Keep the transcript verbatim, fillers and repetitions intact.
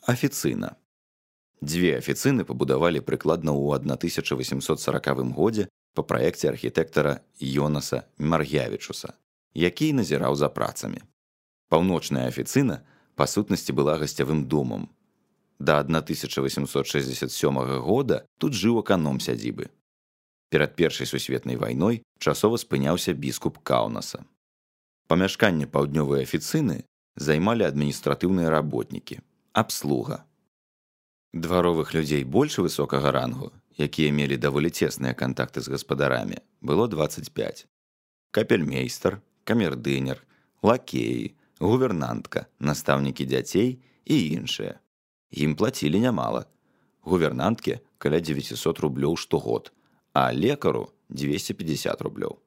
Афіцына. Дзве афіцыны пабудавалі прыкладна ў тысяча васемсот саракавым годзе па праекце архітэктара Йонаса Маргявічуса, які назіраў за працамі. Паўночная афіцына, па сутнасці, была гасцявым домам. Да тысяча васемсот шэсцьдзесят сёмага года тут жыў аканом сядзібы. Перад Першай сусветнай вайной часова спыняўся біскуп Каўнаса. Памяшканне паўднёвай афіцыны займалі адміністратыўныя работнікі, абслуга. Дваровых людзей больш высокага рангу, якія мелі даволі цесныя кантакты з гаспадарамі, было дваццаць пяць. Капельмейстар, камердынер, лакеі, гувернантка, настаўнікі дзяцей і іншыя. Ім плацілі нямала. Гувернантке каля дзевяцісот рублёў штогод, а лекару дзвесце пятьдесят рублёў.